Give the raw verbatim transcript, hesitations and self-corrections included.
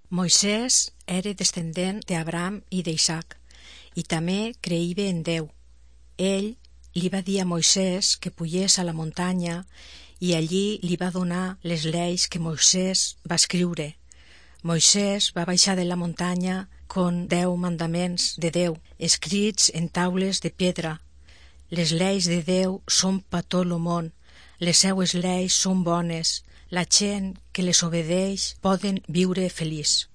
Moisès era descendent d'Abraham i d'Isaac, i també creïva en Déu. Ell li va dir a Moisès que pugés a la muntanya i allí li va donar les lleis que Moisès va escriure. Moisès va baixar de la muntanya con deu mandaments de Déu, escrits en taules de pedra. Les lleis de Déu són per tot el món, les seues lleis són bones, la gent que les obedeix poden viure feliç.